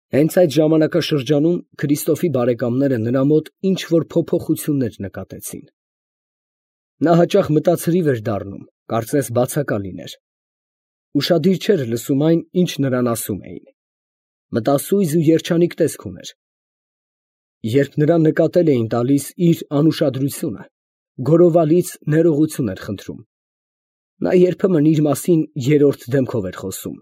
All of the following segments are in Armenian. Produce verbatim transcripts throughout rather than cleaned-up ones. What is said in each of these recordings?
Հենց այդ ժամանակաշրջանում Քրիստոֆի բարեկամները նրա մոտ ինչ֊որ փոփոխություններ նկատեցին. նա հաճախ մտածրիվ էր դառնում, կարծես բացակա լիներ. ուշադիր չէր լսում այն, ինչ նրան ասում էին. մտասույզ ու երջանիկ տեսք ուներ. երբ նրան նկատել էին տալիս իր անուշադրությունը, գոռովալից ներողություն էր խնդրում. նա երբեմն իր մասին երրորդ դեմքով էր խոսում.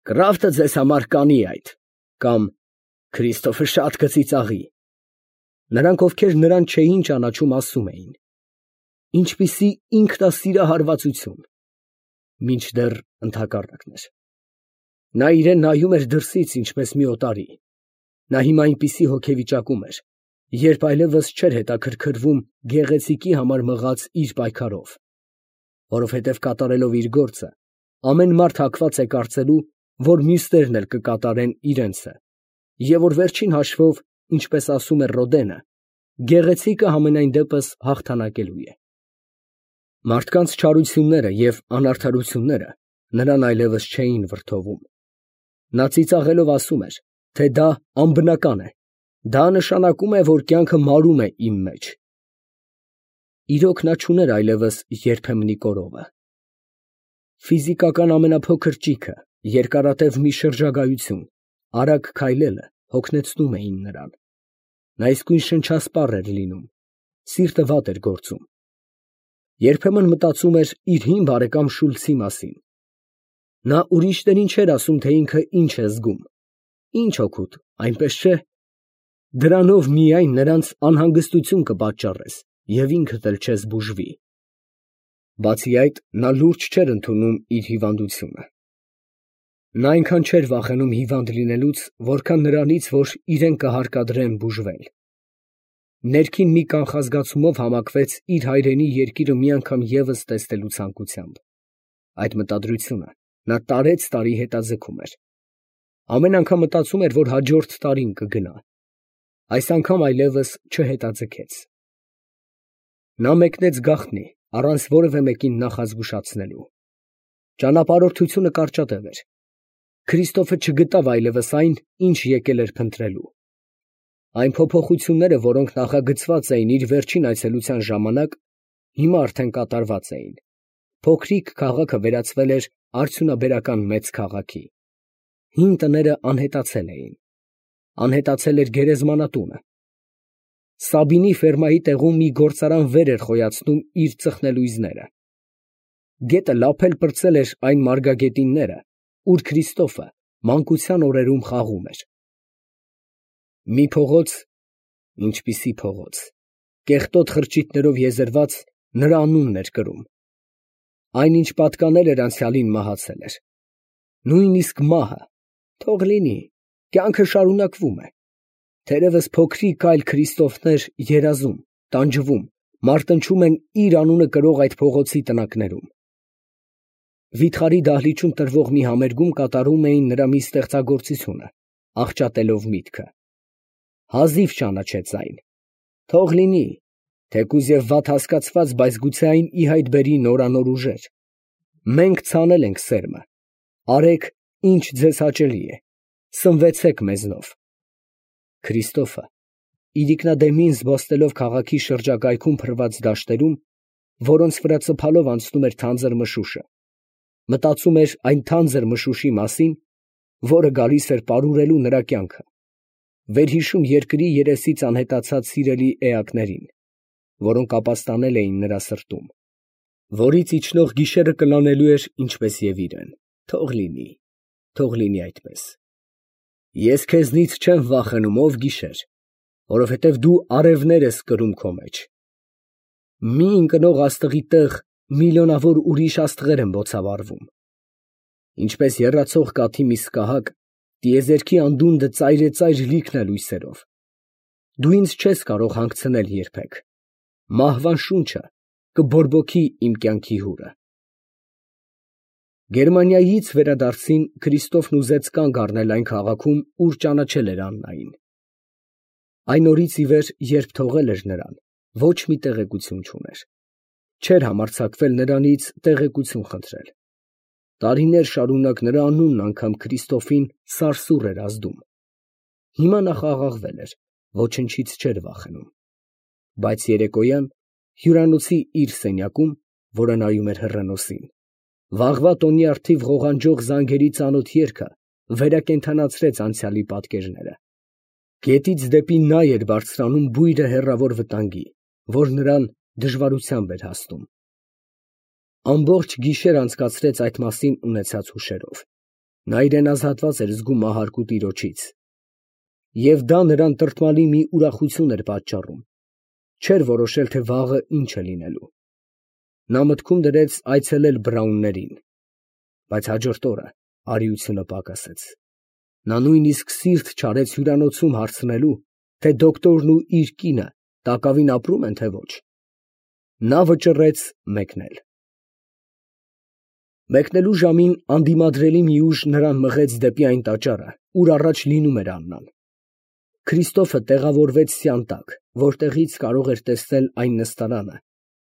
«Կրավթը ձեզ համար կանի այդ» կամ «Քրիստոֆը շատ կծիծաղի»։ Նրանք, ովքեր նրան չէին ճանաչում, ասում էին. «Ինչպիսի ինքնասիրահարվածություն», մինչդեռ ընդհակառակն էր։ Նա իրան նայում էր դրսից, ինչպես մի օտարի։ Նա հիմա այնպիսի հոգեվիճակում էր, երբ այլևս չէր հետաքրքրվում գեղեցիկի համար մղած իր պայքարով, որովհետև կատարելով իր գործը, ամեն մարդ հակված է կարծելու, որ մյուսներն էլ կկատարեն իրենցը, և որ վերջին հաշվով, ինչպես ասում էր Ռոդենը, գեղեցիկը համենայն դեպս հաղթանակելու է։ Մարդկանց չարությունները և անարդարությունները նրան այլևս չէին վրդովում։ Նա ծիծաղելով ասում էր, թե դա անբնական է, դա նշանակում է, որ կյանքը մարում է իմ մեջ։ Իրոք, նա չուներ այլևս երբեմնի կորովը։ Ֆիզիկական ամենափոքր ճիգը, երկարատև մի շրջագայություն, արագ քայլելը հոգնեցնում էին նրան։ Նա իսկույն շնչասպառ էր լինում, սիրտը վատ էր գործում։ Երբեմն մտածում էր իր հին բարեկամ Շուլցի մասին։ Նա ուրիշներին չէր ասում, թե ինքը ինչ է զգում։ Ինչ օգուտ, այնպես չէ։ Դրանով միայն նրանց անհանգստություն կպատճառես և ինքդ էլ չես բուժվի։ Բացի այդ, նա լուրջ չէր ընդունում իր հիվանդությունը։ Նա այնքան չէր վախենում հիվանդ լինելուց, որքան նրանից, որ իրեն կհարկադրեն բուժվել։ Ներքին մի կանխազգացումով համակվեց իր հայրենի երկիրը մի անգամ ևս տեսնելու ցանկությամբ։ Այդ մտադրությունը նա տարեց֊տարի հետաձգում էր։ Ամեն անգամ մտածում էր, որ հաջորդ տարին կգնա։ Այս անգամ այլևս չհետաձգեց։ Նա մեկնեց գաղտնի, առանց որևէ մեկին նախազգուշացնելու։ Ճանապարհորդությունը կարճատև էր։ Քրիստոֆը չգտավ այլևս այն, ինչ եկել էր փնտրելու։ Այն փոփոխությունները, որոնք նախագծված էին իր վերջին այցելության ժամանակ, հիմա արդեն կատարված էին։ Փոքրիկ քաղաքը վերածվել էր արդյունաբերական մեծ քաղաքի։ Հին տները անհետացել էին։ Անհետացել էր գերեզմանատունը։ Սաբինի ֆերմայի տեղում մի գործարան վեր էր խոյացնում իր ծխնելույզները։ Գետը լափել֊պրծել էր այն մարգագետինները, ուր Քրիստոֆը մանկության օրերում խաղում էր։ Մի փողոց, ինչպիսի փողոց, կեղտոտ խրճիթներով եզերված, նրա անունն էր կրում։ Այն, ինչ պատկանել էր անցյալին, մահացել էր։ Նույնիսկ մահը, թող լինի, կյանքը շարունակվում է։ Թերևս փոքրիկ այլ Քրիստոֆներ երազում, տանջվում, մարտնչում են իր անունը կրող այդ փողոցի տնակներում։ Վիթխարի դահլիճում տրվող մի համերգում կատարում էին նրա մի ստեղծագործությունը, աղճատելով միտքը։ Հազիվ ճանաչեց այն։ Թող լինի, թեկուզ և վատ հասկացված, բայց գուցե այն ի հայտ բերի նորանոր ուժեր։ Մենք ցանել ենք սերմը, արեք, ինչ ձեզ հաճելի է, սնվեցեք մեզնով։ Քրիստոֆը, իրիկնադեմին զբոսնելով քաղաքի շրջակայքում փռված դաշտերում, որոնց վրա ծփալով անցնում էր թանձր մշուշը, մտածում էր այն թանձր մշուշի մասին, որը գալիս էր պարուրելու նրա կյանքը, վերհիշում երկրի երեսից անհետացած սիրելի էակներին, որոնք ապաստանել էին նրա սրտում, որից իջնող գիշերը կլանելու էր ինչպես և իրեն։ Թող լինի, թող լինի այդպես։ Ես քեզնից չեմ վախենում, ով գիշեր, որովհետև դու արևներ ես կրում քո մեջ։ Մի ընկնող աստղի տեղ միլիոնավոր ուրիշ աստղեր են բոցավառվում։ Ինչպես եռացող կաթի մի սկահակ, տիեզերքի անդունդը ծայրեծայր լիքն է լույսերով։ Դու ինձ չես կարող հանգցնել երբեք։ Մահվան շունչը կբորբոքի իմ կյանքի հուրը։ Գերմանիայից վերադարձին Քրիստոֆն ուզեց կանգ առնել այն քաղաքում, ուր ճանաչել էր Աննային։ Այն օրից ի վեր, երբ թողել էր նրան, ոչ մի տեղեկություն չուներ։ Չէր համարձակվել նրանից տեղեկություն խնդրել։ Տարիներ շարունակ նրա անունն անգամ Քրիստոֆին սարսուռ էր ազդում։ Հիմա նա խաղաղվել էր, ոչնչից չէր վախենում։ Բայց երեկոյան հյուրանոցի իր սենյակում, որը նայում էր հեռանոսին, վաղվա տոնի առթիվ ղողանջող զանգերի ծանոթ երգը վերակենդանացրեց անցյալի պատկերները։ Գետից դեպի նա էր բարձրանում բույրը հեռավոր վտանգի, որ նրան դժվարությամբ էր հասնում։ Ամբողջ գիշեր անցկացրեց այդ մասին ունեցած հուշերով։ Նա իրեն ազատված էր զգում մահարկու տիրոջից, և դա նրան տրտմալի մի ուրախություն էր պատճառում։ Չէր որոշել, թե վաղը ինչ է լինելու։ Նա մտքում դրեց այցելել Բրաուններին, բայց հաջորդ օրը արիությունը պակասեց։ Նա նույնիսկ սիրտ չարեց հյուրանոցում հարցնելու, թե դոկտորն ու իր կինը տակավին ապրում են, թե ոչ։ Նա վճռեց մեկնել։ Մեկնելու ժամին անդիմադրելի մի ուժ նրան մղեց դեպի այն տաճարը, ուր առաջ լինում էր Աննան։ Քրիստոֆը տեղավորվեց սյան տակ, որտեղից կարող էր տեսնել այն նստարանը,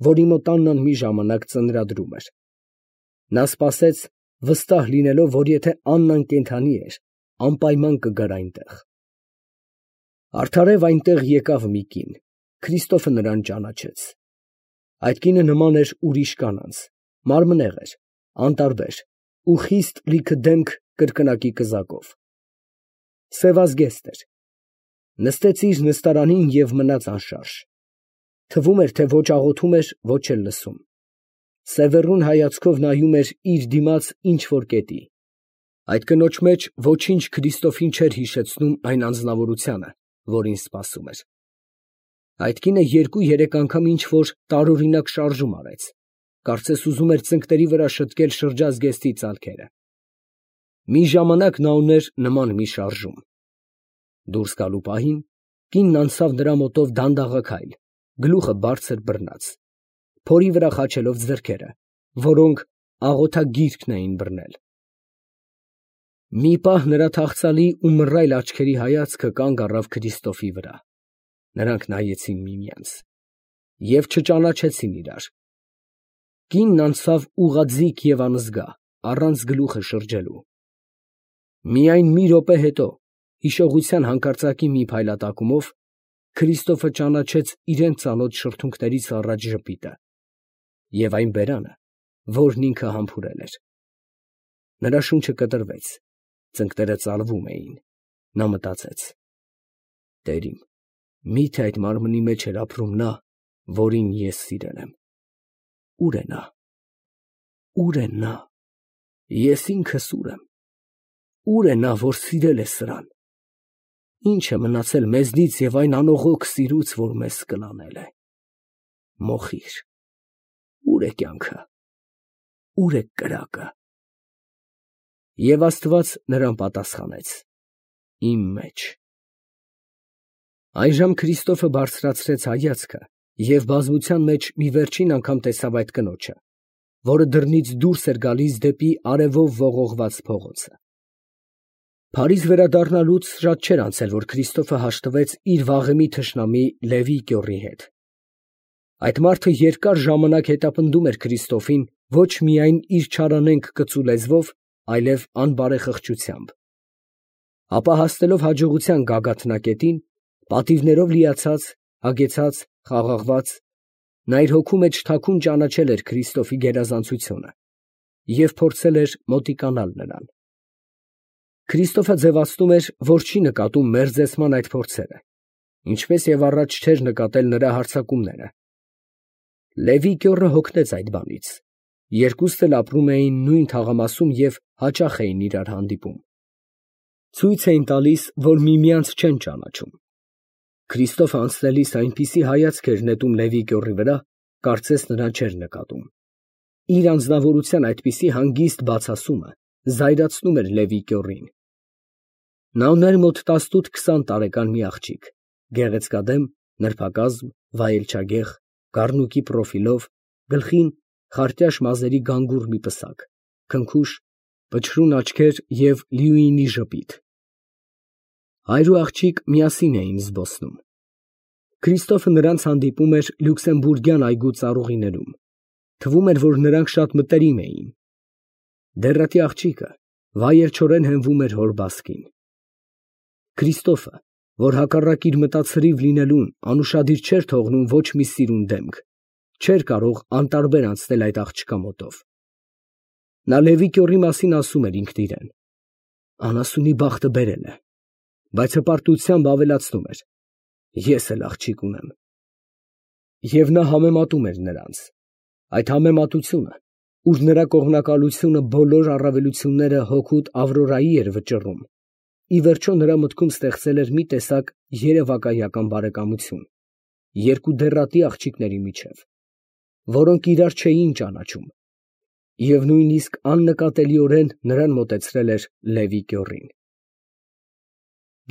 որի մոտ Աննան մի ժամանակ ծնրադրում էր։ Նա սպասեց, վստահ լինելով, որ եթե Աննան կենդանի էր, անպայման կգար այնտեղ։ Արդարև այնտեղ եկավ մի կին։ Քրիստոֆը նրան ճանաչեց։ Այդ կինը նման էր ուրիշ կանանց, մարմնեղ էր, անտարբեր ու խիստ լիքը դեմք կրկնակի կզակով։ Սևազգեստ էր։ Նստեց իր նստարանին և մնաց անշարժ։ Թվում էր, թե ոչ աղոթում էր, ոչ էլ լսում։ Սևեռուն հայացքով նայում էր իր դիմաց ինչ֊որ կետի։ Այդ կնոջ մեջ ոչինչ Քրիստոֆին չէր հիշեցնում այն անձնավորությանը, որին սպասում էր։ Այդ կինը երկու֊երեք անգամ ինչ֊որ տարօրինակ շարժում արեց, կարծես ուզում էր ծնկների վրա շտկել շրջազգեստի ծալքերը։ Մի ժամանակ նա ուներ նման մի շարժում։ Դուրս գալու պահին կինն անցավ նրա մոտով դանդաղաքայլ, գլուխը բարձր բռնած, փորի վրա խաչելով ձեռքերը, որոնք աղոթագիրքն էին բռնել։ Մի պահ նրա թախծալի ու մռայլ աչքերի հայացքը կանգ առավ Քրիստոֆի վրա։ Նրանք նայեցին միմյանց և չճանաչեցին իրար։ Կինն անցավ ուղղաձիգ և անզգա, առանց գլուխը շրջելու։ Միայն մի րոպե հետո, հիշողության հանկարծակի մի փայլատակումով, Քրիստոֆը ճանաչեց իրան ծանոթ շրթունքներից առաջ ժպիտը և այն բերանը, որն ինքը համբուրել էր։ Նրա շունչը կտրվեց, ծնկները ծալվում էին։ Նա մտածեց. «Տեր իմ, մի՞թե այդ մարմնի մեջ էր ապրում նա, որին ես սիրել եմ։ Ո՞ւր է նա։ Ո՞ւր է նա։ Ես ինքս ո՞ւր եմ։ Ո՞ւր է նա, որ սիրել է սրան։ Ի՞նչ է մնացել մեզնից և այն անողոք սիրուց, որ մեզ կլանել է։ Մոխիր, ո՞ւր է կյանքը։ Ո՞ւր է կրակը»։ Եվ Աստված նրան պատասխանեց. «Իմ մեջ»։ Այժմ Քրիստոֆը բարձրացրեց հայացքը և բազմության մեջ մի վերջին անգամ տեսավ այդ կնոջը, որը դռնից դուրս էր գալիս դեպի արևով ողողված փողոցը։ Փարիզ վերադառնալուց շատ չէր անցել, որ Քրիստոֆը հաշտվեց իր վաղեմի թշնամի Լևի կյոռի հետ։ Այդ մարդը երկար ժամանակ հետապնդում էր Քրիստոֆին ոչ միայն իր չարանենգ կծու լեզվով, այլև անբարեխղճությամբ։ Ապա հասնելով հաջողության գագաթնակետին, պատիվներով լիացած, հագեցած, խաղաղված, նա իր հոգու մեջ թաքուն ճանաչել էր Քրիստոֆի գերազանցությունը և փորձել էր մոտիկանալ նրան։ Քրիստոֆը ձևացնում էր, որ չի նկատում մերձեցման այդ փորձերը, ինչպես և առաջ չէր նկատել նրա հարձակումները։ Լևի կյոռը հոգնեց այդ բանից։ Երկուսն էլ ապրում էին նույն թաղամասում և հաճախ էին իրար հանդիպում։ Ցույց էին տալիս, որ միմյանց չեն ճանաչում։ Քրիստոֆը անցնելիս այնպիսի հայացք էր նետում Լևի կյոռի վրա, կարծես նրան չէր նկատում։ Իր անձնավորության այդպիսի հանգիստ բացասումը զայրացնում էր Լևի կյոռին։ Նա ուներ մոտ տասնութ֊քսան տարեկան մի աղջիկ, գեղեցկադեմ, նրբակազմ, վայելչագեղ, կառնուկի պրոֆիլով, գլխին խարտյաշ մազերի գանգուր մի պսակ, քնքուշ, փչրուն աչքեր և լիույնի ժպիտ։ Հայր ու աղջիկ միասին էին զբոսնում։ Քրիստոֆը նրանց հանդիպում էր լյուքսեմբուրգյան այգու ծառուղիներում։ Թվում էր, որ նրանք շատ մտերիմ էին։ Դեռատի աղջիկը վայելչորեն հենվում էր հոր բասկին։ Քրիստոֆը, որ հակառակ իր մտածրիվ լինելուն անուշադիր չէր թողնում ոչ մի սիրուն դեմք, չէր կարող անտարբեր անցնել այդ աղջկա մոտով։ Նա Լևի կյոռի մասին ասում էր ինքն իրան. անասունի բախտը բերել է, բայց հպարտությամբ ավելացնում էր. ես էլ աղջիկ ունեմ։ Եվ նա համեմատում էր նրանց։ Այդ համեմատությունը, ուր նրա կողմնակալությունը բոլոր առավելությունները հօգուտ Ավրորայի էր վճռում, ի վերջո նրա մտքում ստեղծել էր մի տեսակ երևակայական բարեկամություն երկու դեռատի աղջիկների միջև, որոնք իրար չէին ճանաչում, և նույնիսկ աննկատելիորեն նրան մոտեցրել էր Լևի կյոռին։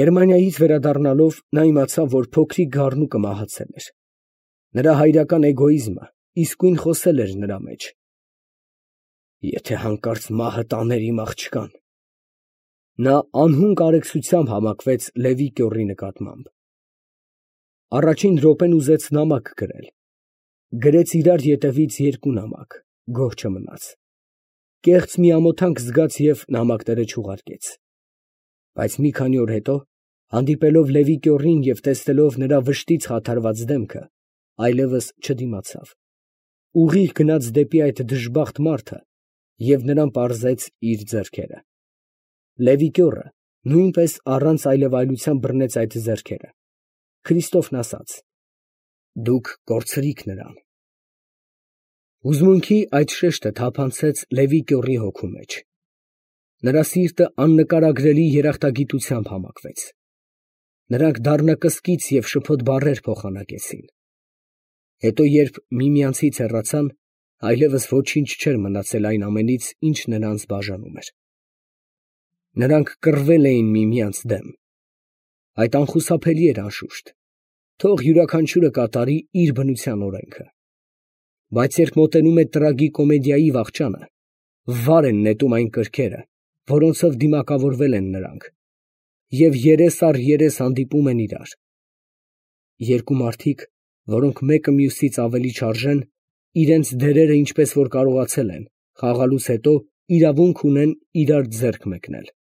Գերմանիայից վերադառնալով նա իմացավ, որ փոքրիկ գառնուկը մահացել էր։ Նրա հայրական էգոիզմը իսկույն խոսել էր նրա մեջ։ Եթե հանկարծ մահը տաներ իմ աղջկան… Նա անհուն կարեկցությամբ համակվեց Լևի կյոռի նկատմամբ։ Առաջին րոպեն ուզեց նամակ գրել։ Գրեց իրար ետևից երկու նամակ, գոհ չմնաց։ Կեղծ մի ամոթանք զգաց և նամակները չուղարկեց։ Բայց մի քանի օր հետո, հանդիպելով Լևի կյոռին և տեսնելով նրա վշտից խաթարված դեմքը, այլևս չդիմացավ, ուղիղ գնաց դեպի այդ դժբախտ մարդը և նրան պարզեց իր ձեռքերը։ Լևի կյոռը նույնպես առանց այլևայլության բռնեց այդ ձեռքերը։ Քրիստոֆն ասաց. դուք կորցրիք նրան։ Հուզմունքի այդ շեշտը թափանցեց Լևի կյոռի հոգու մեջ։ Նրա սիրտը աննկարագրելի երախտագիտությամբ համակվեց։ Նրանք դառնակսկիծ և շփոթ բառեր փոխանակեցին։ Հետո երբ միմյանցից հեռացան, այլևս ոչինչ չէր մնացել այն ամենից, ինչ նրանց բաժանում էր։ Նրանք կռվել էին միմյանց դեմ։ Այդ անխուսափելի էր անշուշտ, թող յուրաքանչյուրը կատարի իր բնության օրենքը։ Բայց երբ մոտենում է տրագիկոմեդիայի վախճանը, վար են նետում այն կրքերը, որոնցով դիմակավորվել են նրանք, և երես առ երես հանդիպում են իրար։ Երկու մարդիկ, որոնք մեկը մյուսից ավելի չարժեն, իրենց դերերը ինչպես որ կարողացել են, խաղալուց հետո իրավունք ունեն իրար ձեռք մեկնել։